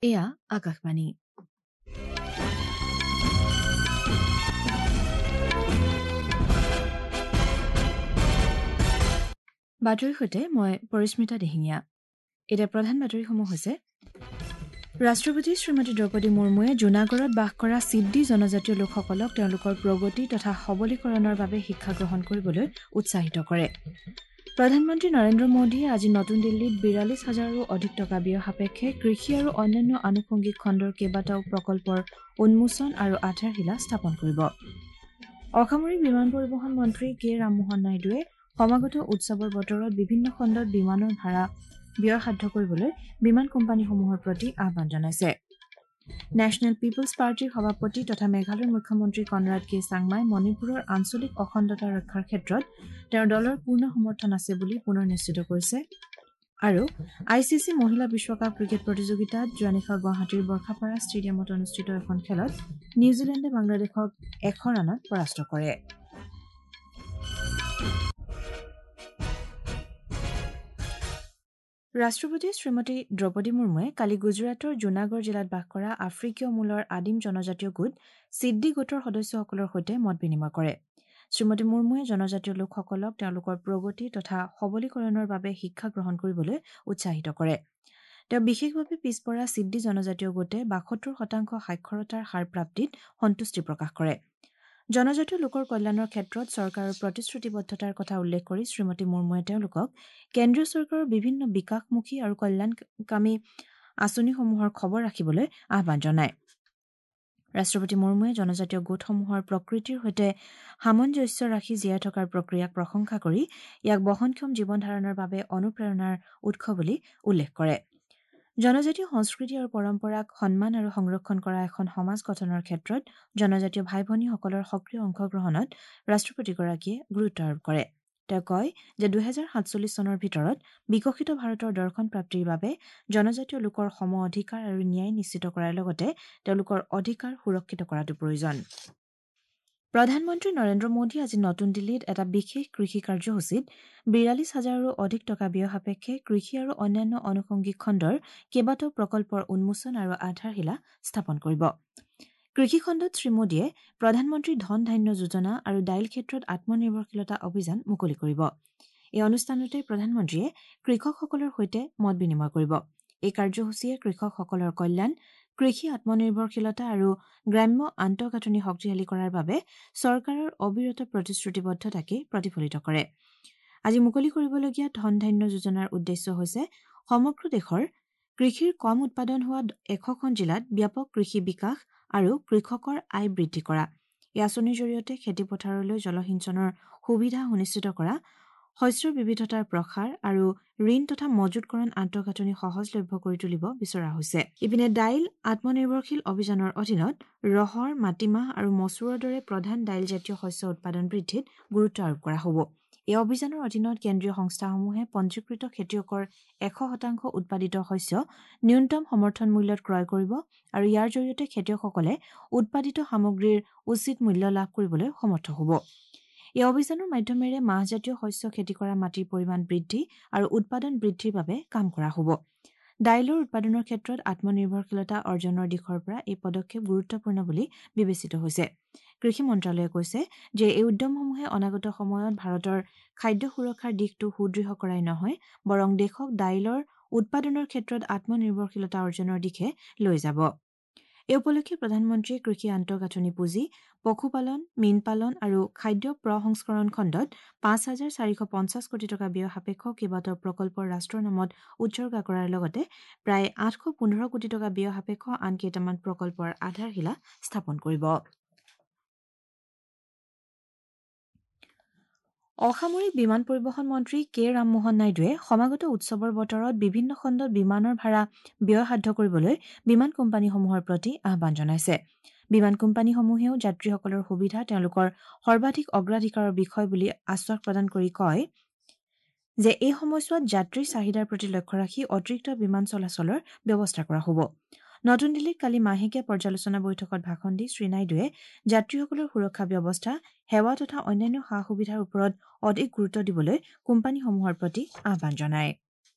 এয়া আকাশবাণী। বাতৰিৰ সৈতে মই পৰিস্মিতা দিহিঙীয়া। এতিয়া প্ৰধান বাতৰিসমূহ হৈছে: ৰাষ্ট্ৰপতি শ্ৰীমতী দ্ৰৌপদী মুৰ্মুৱে জুনাগড়ত বাস কৰা সিদ্ধি জনজাতীয় লোকসকলক তেওঁলোকৰ প্ৰগতি তথা সবলীকৰণৰ বাবে শিক্ষা গ্ৰহণ কৰিবলৈ উৎসাহিত কৰে। প্ৰধানমন্ত্ৰী নৰেন্দ্ৰ মোদীয়ে আজি নতুন দিল্লীত ৪২ হাজাৰৰো অধিক টকা ব্যয় সাপেক্ষে কৃষি আৰু অন্যান্য আনুষংগিক খণ্ডৰ কেইবাটাও প্ৰকল্পৰ উন্মোচন আৰু আধাৰশিলা স্থাপন কৰিব। অসামৰিক বিমান পৰিবহণ মন্ত্ৰী কে ৰামমোহন নাইডুৱে সমাগত উৎসৱৰ বতৰত বিভিন্ন খণ্ডত বিমানৰ ভাড়া ব্যয়সাধ্য কৰিবলৈ বিমান কোম্পানীসমূহৰ প্ৰতি আহ্বান জনাইছে। নেশ্যনেল পিপলছ পাৰ্টীৰ সভাপতি তথা মেঘালয়ৰ মুখ্যমন্ত্ৰী কনৰাড কে চাংমাই মণিপুৰৰ আঞ্চলিক অখণ্ডতা ৰক্ষাৰ ক্ষেত্ৰত তেওঁৰ দলৰ পূৰ্ণ সমৰ্থন আছে বুলি পুনৰ নিশ্চিত কৰিছে। আৰু I C C মহিলা বিশ্বকাপ ক্ৰিকেট প্ৰতিযোগিতাত যোৱা নিশা গুৱাহাটীৰ বৰ্ষাপাৰা ষ্টেডিয়ামত অনুষ্ঠিত এখন খেলত নিউজিলেণ্ডে বাংলাদেশক ১০০ ৰানত পৰাস্ত কৰে। ৰাষ্ট্ৰপতি শ্ৰীমতী দ্ৰৌপদী মুৰ্মুৱে কালি গুজৰাটৰ জুনাগড় জিলাত বাস কৰা আফ্ৰিকীয় মূলৰ আদিম জনজাতীয় গোট সিদ্ধি গোটৰ সদস্যসকলৰ সৈতে মত বিনিময় কৰে। শ্ৰীমতী মুৰ্মুৱে জনজাতীয় লোকসকলক তেওঁলোকৰ প্ৰগতি তথা সবলীকৰণৰ বাবে শিক্ষা গ্ৰহণ কৰিবলৈ উৎসাহিত কৰে। তেওঁ বিশেষভাৱে পিছপৰা সিদ্ধি জনজাতীয় গোটে ৭২% সাক্ষৰতাৰ হাৰ প্ৰাপ্তিত সন্তুষ্টি প্ৰকাশ কৰে। জনজাতীয় লোকৰ কল্যাণৰ ক্ষেত্ৰত চৰকাৰৰ প্ৰতিশ্ৰুতিবদ্ধতাৰ কথা উল্লেখ কৰি শ্ৰীমতী মুৰ্মুৱে তেওঁলোকক কেন্দ্ৰীয় চৰকাৰৰ বিভিন্ন বিকাশমুখী আৰু কল্যাণকামী আঁচনিসমূহৰ খবৰ ৰাখিবলৈ আহ্বান জনায়। ৰাষ্ট্ৰপতি মুৰ্মুৱে জনজাতীয় গোটসমূহৰ প্ৰকৃতিৰ সৈতে সামঞ্জস্য ৰাখি জীয়াই থকাৰ প্ৰক্ৰিয়াক প্ৰশংসা কৰি ইয়াক বহনক্ষম জীৱন ধাৰণৰ বাবে অনুপ্ৰেৰণাৰ উৎস বুলি উল্লেখ কৰে। জনজাতীয় সংস্কৃতি আৰু পৰম্পৰাক সন্মান আৰু সংৰক্ষণ কৰা এখন সমাজ গঠনৰ ক্ষেত্ৰত জনজাতীয় ভাই ভনীসকলৰ সক্ৰিয় অংশগ্ৰহণত ৰাষ্ট্ৰপতিগৰাকীয়ে গুৰুত্ব আৰোপ কৰে। তেওঁ কয় যে ২০৪৭ চনৰ ভিতৰত বিকশিত ভাৰতৰ দৰ্শন প্ৰাপ্তিৰ বাবে জনজাতীয় লোকৰ সম অধিকাৰ আৰু ন্যায় নিশ্চিত কৰাৰ লগতে তেওঁলোকৰ অধিকাৰ সুৰক্ষিত কৰাটো প্ৰয়োজন। প্ৰধানমন্ত্ৰী নৰেন্দ্ৰ মোদীয়ে আজি নতুন দিল্লীত এটা বিশেষ কৃষি কাৰ্যসূচীত ৪২ হাজাৰৰো অধিক টকা ব্যয় সাপেক্ষে কৃষি আৰু অন্যান্য আনুষংগিক খণ্ডৰ কেইবাটাও প্ৰকল্পৰ উন্মোচন আৰু আধাৰশিলা স্থাপন কৰিব। কৃষি খণ্ডত শ্ৰীমোদীয়ে প্ৰধানমন্ত্ৰী ধন ধান্য যোজনা আৰু দাইল ক্ষেত্ৰত আত্মনিৰ্ভৰশীলতা অভিযান মুকলি কৰিব। এই অনুষ্ঠানতে প্ৰধানমন্ত্ৰীয়ে কৃষকসকলৰ সৈতে মত বিনিময় কৰিব। এই কাৰ্যসূচীয়ে কৃষকসকলৰ কল্যাণ, কৃষি আত্মনিৰ্ভৰশীলতা আৰু গ্ৰাম্য আন্তঃগাঁথনি শক্তিশালী কৰাৰ বাবে চৰকাৰৰ অবিৰত প্ৰতিশ্ৰুতিবদ্ধতাকে প্ৰতিফলিত কৰে। আজি মুকলি কৰিবলগীয়া ধন ধান্য যোজনাৰ উদ্দেশ্য হৈছে সমগ্ৰ দেশৰ কৃষিৰ কম উৎপাদন হোৱা ১০০খন জিলাত ব্যাপক কৃষি বিকাশ আৰু কৃষকৰ আয় বৃদ্ধি কৰা। এই আঁচনিৰ জৰিয়তে খেতিপথাৰলৈ জলসিঞ্চনৰ সুবিধা সুনিশ্চিত কৰা, শস্যৰ বিবিধতাৰ প্ৰসাৰ আৰু ঋণ তথা মজুতকৰণ আন্তঃগাঁথনি সহজলভ্য কৰি তুলিব বিচৰা হৈছে। ইপিনে দাইল আত্মনিৰ্ভৰশীল অভিযানৰ অধীনত ৰহৰ, মাটিমাহ আৰু মচুৰৰ দৰে প্ৰধান দাইলজাতীয় শস্য উৎপাদন বৃদ্ধিত গুৰুত্ব আৰোপ কৰা হ'ব। এই অভিযানৰ অধীনত কেন্দ্ৰীয় সংস্থাসমূহে পঞ্জীকৃত খেতিয়কৰ ১০০% উৎপাদিত শস্য ন্যূনতম সমৰ্থন মূল্যত ক্ৰয় কৰিব আৰু ইয়াৰ জৰিয়তে খেতিয়কসকলে উৎপাদিত সামগ্ৰীৰ উচিত মূল্য লাভ কৰিবলৈ সমৰ্থ হ'ব। এই অভিযানৰ মাধ্যমেৰে মাহজাতীয় শস্য খেতি কৰা মাটিৰ পৰিমাণ বৃদ্ধি আৰু উৎপাদন বৃদ্ধিৰ বাবে কাম কৰা হ'ব। দাইলৰ উৎপাদনৰ ক্ষেত্ৰত আত্মনিৰ্ভৰশীলতা অৰ্জনৰ দিশৰ পৰা এই পদক্ষেপ গুৰুত্বপূৰ্ণ বুলি বিবেচিত হৈছে। কৃষি মন্ত্ৰালয়ে কৈছে যে এই উদ্যমসমূহে অনাগত সময়ত ভাৰতৰ খাদ্য সুৰক্ষাৰ দিশটো সুদৃঢ় কৰাই নহয়, বৰং দেশক দাইলৰ উৎপাদনৰ ক্ষেত্ৰত আত্মনিৰ্ভৰশীলতা অৰ্জনৰ দিশে লৈ যাব। এই উপলক্ষে প্ৰধানমন্ত্ৰীয়ে কৃষি আন্তঃগাঁথনি পুঁজি, পশুপালন, মীনপালন আৰু খাদ্য প্ৰসংস্কৰণ খণ্ডত ৫,৪৫০ কোটি টকা ব্যয় সাপেক্ষ কেইবাটাও প্ৰকল্পৰ ৰাষ্ট্ৰৰ নামত উৎসৰ্গা কৰাৰ লগতে প্ৰায় ৮১৫ কোটি টকা ব্যয় সাপেক্ষ আন কেইটামান প্ৰকল্পৰ আধাৰশিলা স্থাপন কৰিব। অসামৰিক বিমান পৰিবহণ মন্ত্ৰী কে ৰামমোহন নাইডুৱে সমাগত উৎসৱৰ বতৰত বিভিন্ন খণ্ডত বিমানৰ ভাড়া ব্যয়সাধ্য কৰিবলৈ বিমান কোম্পানীসমূহৰ প্ৰতি আহ্বান জনাইছে। বিমান কোম্পানীসমূহেও যাত্ৰীসকলৰ সুবিধা তেওঁলোকৰ সৰ্বাধিক অগ্ৰাধিকাৰৰ বিষয় বুলি আশ্বাস প্ৰদান কৰি কয় যে এই সময়ছোৱাত যাত্ৰীৰ চাহিদাৰ প্ৰতি লক্ষ্য ৰাখি অতিৰিক্ত বিমান চলাচলৰ ব্যৱস্থা কৰা হ'ব। নতুন দিল্লীত কালি মাহেকীয়া পৰ্যালোচনা বৈঠকত ভাষণ দি শ্ৰীনাইডুৱে যাত্ৰীসকলৰ সুৰক্ষা ব্যৱস্থা, সেৱা তথা অন্যান্য সা সুবিধাৰ ওপৰত অধিক গুৰুত্ব দিবলৈ কোম্পানীসমূহৰ প্ৰতি আহ্বান জনায়।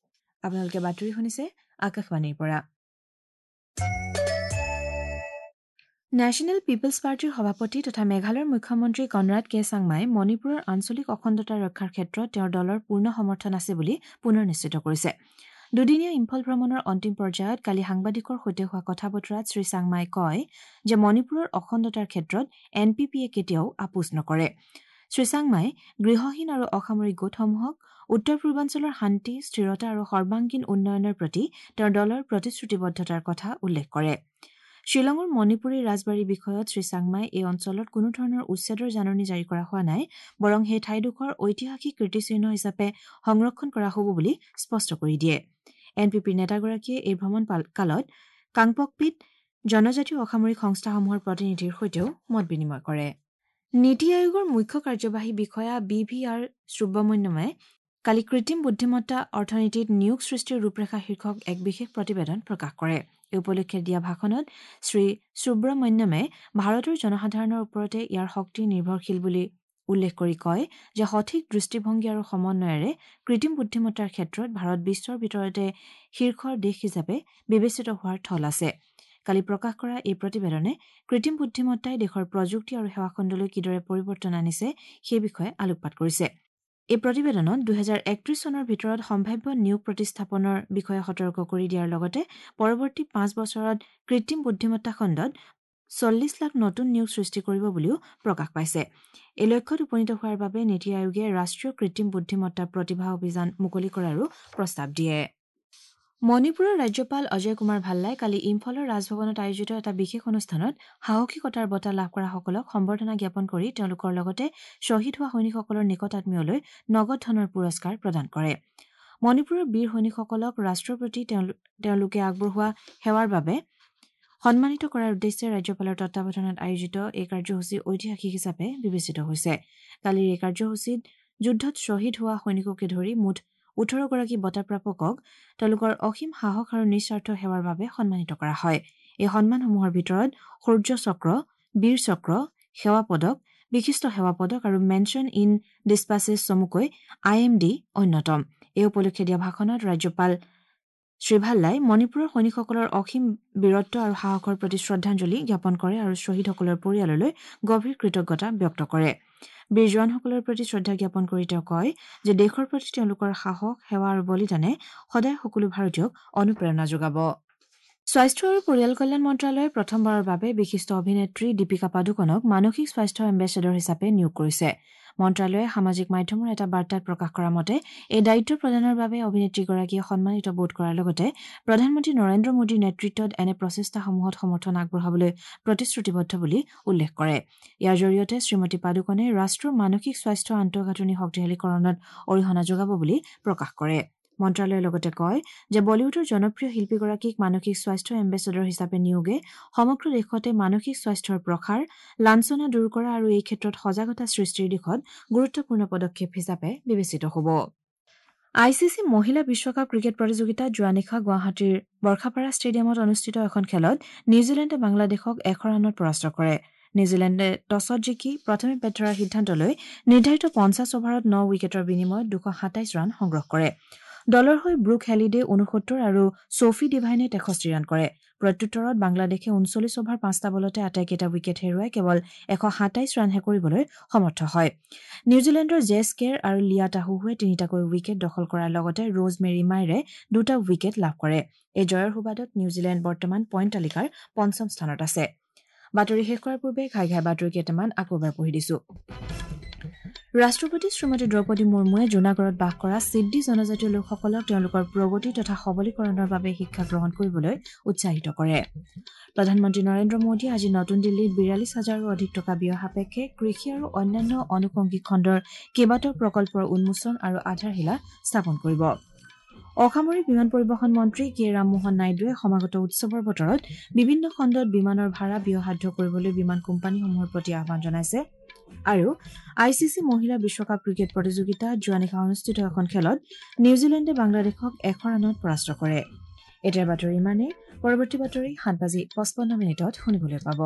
আপোনালোকে বাতৰি শুনিছে আকাশবাণীৰ পৰা। নেশ্যনেল পিপলছ পাৰ্টীৰ সভাপতি তথা মেঘালয়ৰ মুখ্যমন্ত্ৰী কনৰাড কে চাংমাই মণিপুৰৰ আঞ্চলিক অখণ্ডতা ৰক্ষাৰ ক্ষেত্ৰত তেওঁৰ দলৰ পূৰ্ণ সমৰ্থন আছে বুলি পুনৰ নিশ্চিত কৰিছে। দুদিনীয়া ইম্ফল ভ্ৰমণৰ অন্তিম পৰ্যায়ত কালি সাংবাদিকৰ সৈতে হোৱা কথা বতৰাত শ্ৰী চাংমাই কয় যে মণিপুৰৰ অখণ্ডতাৰ ক্ষেত্ৰত এন পি পিয়ে কেতিয়াও আপোচ নকৰে। শ্ৰী চাংমাই গৃহহীন আৰু অসামৰিক গোটসমূহক উত্তৰ পূৰ্বাঞ্চলৰ শান্তি, স্থিৰতা আৰু সৰ্বাংগীন উন্নয়নৰ প্ৰতি তেওঁৰ দলৰ প্ৰতিশ্ৰুতিবদ্ধতাৰ কথা উল্লেখ কৰে। শ্বিলঙৰ মণিপুৰী ৰাজবাৰীৰ বিষয়ত শ্ৰী চাংমাই এই অঞ্চলত কোনো ধৰণৰ উচ্ছেদৰ জাননী জাৰি কৰা হোৱা নাই, বৰং সেই ঠাইডোখৰ ঐতিহাসিক কীৰ্তিচিহ্ন হিচাপে সংৰক্ষণ কৰা হ'ব বুলি স্পষ্ট কৰি দিয়ে। এন পি পিৰ নেতাগৰাকীয়ে এই ভ্ৰমণ কালত কাংপকপিত জনজাতীয় অসামৰিক সংস্থাসমূহৰ প্ৰতিনিধিৰ সৈতেও মত বিনিময় কৰে। নীতি আয়োগৰ মুখ্য কাৰ্যবাহী বিষয়া বি ভি আৰ সুব্ৰমণ্যমে কালি কৃত্ৰিম বুদ্ধিমত্তা অৰ্থনীতিত নিয়োগ সৃষ্টিৰ ৰূপৰেখা শীৰ্ষক এক বিশেষ প্ৰতিবেদন প্ৰকাশ কৰে। এই উপলক্ষে দিয়া ভাষণত শ্ৰী সুব্ৰমণ্যমে ভাৰতৰ জনসাধাৰণৰ ওপৰতে ইয়াৰ শক্তি নিৰ্ভৰশীল বুলি উল্লেখ কৰি কয় যে সঠিক দৃষ্টিভংগী আৰু সমন্বয়েৰে কৃত্ৰিম বুদ্ধিমত্তাৰ ক্ষেত্ৰত ভাৰত বিশ্বৰ ভিতৰতে শীৰ্ষৰ দেশ হিচাপে বিবেচিত হোৱাৰ থল আছে। কালি প্ৰকাশ কৰা এই প্ৰতিবেদনে কৃত্ৰিম বুদ্ধিমত্তাই দেশৰ প্ৰযুক্তি আৰু সেৱাখণ্ডলৈ কিদৰে পৰিৱৰ্তন আনিছে সেই বিষয়ে আলোকপাত কৰিছে। এই প্ৰতিবেদনত 2031 চনৰ ভিতৰত সম্ভাৱ্য নিয়োগ প্ৰতিস্থাপনৰ বিষয়ে সতৰ্ক কৰি দিয়াৰ লগতে পৰৱৰ্তী 5 বছৰত কৃত্ৰিম বুদ্ধিমত্তা খণ্ডত 40 লাখ নতুন নিয়োগ সৃষ্টি কৰিব বুলিও প্ৰকাশ পাইছে। এই লক্ষ্যত উপনীত হোৱাৰ বাবে নীতি আয়োগে ৰাষ্ট্ৰীয় কৃত্ৰিম বুদ্ধিমত্তা প্ৰতিভা অভিযান মুকলি কৰাৰো প্ৰস্তাৱ দিয়ে। মণিপুৰৰ ৰাজ্যপাল অজয় কুমাৰ ভাল্লাই কালি ইম্ফলৰ ৰাজভৱনত আয়োজিত এটা বিশেষ অনুষ্ঠানত সাহসিকতাৰ বঁটা লাভ কৰাসকলক সম্বৰ্ধনা জ্ঞাপন কৰি তেওঁলোকৰ লগতে শ্বহীদ হোৱা সৈনিকসকলৰ নিকটাত্মীয়লৈ নগদ ধনৰ পুৰস্কাৰ প্ৰদান কৰে। মণিপুৰৰ বীৰ সৈনিকসকলক ৰাষ্ট্ৰৰ প্ৰতি তেওঁলোকে আগবঢ়োৱা সেৱাৰ বাবে সন্মানিত কৰাৰ উদ্দেশ্যে ৰাজ্যপালৰ তত্বাৱধানত আয়োজিত এই কাৰ্যসূচী ঐতিহাসিক হিচাপে বিবেচিত হৈছে। কালিৰ এই কাৰ্যসূচীত যুদ্ধত শ্বহীদ হোৱা সৈনিককে ধৰি মুঠ 18গৰাকী বঁটাপ্ৰাপকক তেওঁলোকৰ অসীম সাহস আৰু নিস্বাৰ্থ সেৱাৰ বাবে সন্মানিত কৰা হয়। এই সন্মানসমূহৰ ভিতৰত শৌৰ্য চক্ৰ, বীৰ চক্ৰ, সেৱা পদক, বিশিষ্ট সেৱা পদক আৰু মেনশ্যন ইন ডিছপাচেছ চমুকৈ I am D অন্যতম। এই উপলক্ষে দিয়া ভাষণত ৰাজ্যপাল শ্ৰী ভাল্লাই মণিপুৰৰ সৈনিকসকলৰ অসীম বীৰত্ব আৰু সাহসৰ প্ৰতি শ্ৰদ্ধাঞ্জলি জ্ঞাপন কৰে আৰু শ্বহীদসকলৰ পৰিয়াললৈ গভীৰ কৃতজ্ঞতা ব্যক্ত কৰে। বীৰ জোৱানসকলৰ প্ৰতি শ্ৰদ্ধা জ্ঞাপন কৰি তেওঁ কয় যে দেশৰ প্ৰতি তেওঁলোকৰ সাহস, সেৱা আৰু বলিদানে সদায় সকলো ভাৰতীয়ক অনুপ্ৰেৰণা যোগাব। স্বাস্থ্য আৰু পৰিয়াল কল্যাণ মন্ত্ৰালয়ে প্ৰথমবাৰৰ বাবে বিশিষ্ট অভিনেত্ৰী দীপিকা পাডুকনক মানসিক স্বাস্থ্য এম্বেচেডৰ হিচাপে নিয়োগ কৰিছে। মন্ত্ৰালয়ে সামাজিক মাধ্যমৰ এটা বাৰ্তাত প্ৰকাশ কৰা মতে এই দায়িত্ব প্ৰদানৰ বাবে অভিনেত্ৰীগৰাকীয়ে সন্মানিত বোধ কৰাৰ লগতে প্ৰধানমন্ত্ৰী নৰেন্দ্ৰ মোদীৰ নেতৃত্বত এনে প্ৰচেষ্টাসমূহত সমৰ্থন আগবঢ়াবলৈ প্ৰতিশ্ৰুতিবদ্ধ বুলি উল্লেখ কৰে। ইয়াৰ জৰিয়তে শ্ৰীমতী পাডুকনে ৰাষ্ট্ৰৰ মানসিক স্বাস্থ্য আন্তঃগাঁথনি শক্তিশালীকৰণত অৰিহণা যোগাব বুলি প্ৰকাশ কৰে। মন্ত্ৰালয়ে লগতে কয় যে বলিউডৰ জনপ্ৰিয় শিল্পীগৰাকীক মানসিক স্বাস্থ্য এম্বেচেডৰ হিচাপে নিয়োগে সমগ্ৰ দেশতে মানসিক স্বাস্থ্যৰ প্ৰসাৰ, লাঞ্ছনা দূৰ কৰা আৰু এই ক্ষেত্ৰত সজাগতা সৃষ্টিৰ দিশত গুৰুত্বপূৰ্ণ পদক্ষেপ হিচাপে বিবেচিত হ'ব। I C C মহিলা বিশ্বকাপ ক্ৰিকেট প্ৰতিযোগিতাত যোৱা নিশা গুৱাহাটীৰ বৰ্ষাপাৰা ষ্টেডিয়ামত অনুষ্ঠিত এখন খেলত নিউজিলেণ্ডে বাংলাদেশক 100 ৰানত পৰাস্ত কৰে। নিউজিলেণ্ডে টছত জিকি প্ৰথমে বেট ধৰাৰ সিদ্ধান্ত লৈ নিৰ্ধাৰিত 50 অভাৰত 9 উইকেটৰ বিনিময়ত 227 ৰান সংগ্ৰহ কৰে। দলৰ হৈ ব্ৰুক হেলিডে 69 আৰু ছফি ডিভাইনে 63 ৰান কৰে। প্ৰত্যুত্তৰত বাংলাদেশে 39 অভাৰ 5টা বলতে আটাইকেইটা উইকেট হেৰুৱাই কেৱল 127 ৰানহে কৰিবলৈ সমৰ্থ হয়। নিউজিলেণ্ডৰ জেছ কেৰ আৰু লিয়া তাহুহুৱে 3টাকৈ উইকেট দখল কৰাৰ লগতে ৰোজ মেৰী মাইৰে 2টা উইকেট লাভ কৰে। এই জয়ৰ সুবাদত নিউজিলেণ্ড বৰ্তমান পইণ্ট তালিকাৰ 5ম স্থানত আছে। বাতৰি শেষ কৰাৰ পূৰ্বে ঘাই ঘাই বাতৰি কেইটামান আকৌ এবাৰ পঢ়ি দিছো। ৰাষ্ট্ৰপতি শ্ৰীমতী দ্ৰৌপদী মুৰ্মুৱে জুনাগড়ত বাস কৰা সিদ্ধি জনজাতীয় লোকসকলক তেওঁলোকৰ প্ৰগতি তথা সবলীকৰণৰ বাবে শিক্ষা গ্ৰহণ কৰিবলৈ উৎসাহিত কৰে। প্ৰধানমন্ত্ৰী নৰেন্দ্ৰ মোদীয়ে আজি নতুন দিল্লীত 42 হাজাৰৰো অধিক টকা ব্যয় সাপেক্ষে কৃষি আৰু অন্যান্য আনুষংগিক খণ্ডৰ কেইবাটাও প্ৰকল্পৰ উন্মোচন আৰু আধাৰশিলা স্থাপন কৰিব। অসামৰিক বিমান পৰিবহণ মন্ত্ৰী কে ৰামমোহন নাইডুৱে সমাগত উৎসৱৰ বতৰত বিভিন্ন খণ্ডত বিমানৰ ভাড়া ব্যয়সাধ্য কৰিবলৈ বিমান কোম্পানীসমূহৰ প্ৰতি আহ্বান জনাইছে। আৰু I C C মহিলা বিশ্বকাপ ক্ৰিকেট প্ৰতিযোগিতাত যোৱা নিশা অনুষ্ঠিত এখন খেলত নিউজিলেণ্ডে বাংলাদেশক 100 ৰানত পৰাস্ত কৰে। এতিয়াৰ বাতৰি ইমানেই। পৰৱৰ্তী বাতৰি 7:55 শুনিবলৈ পাব।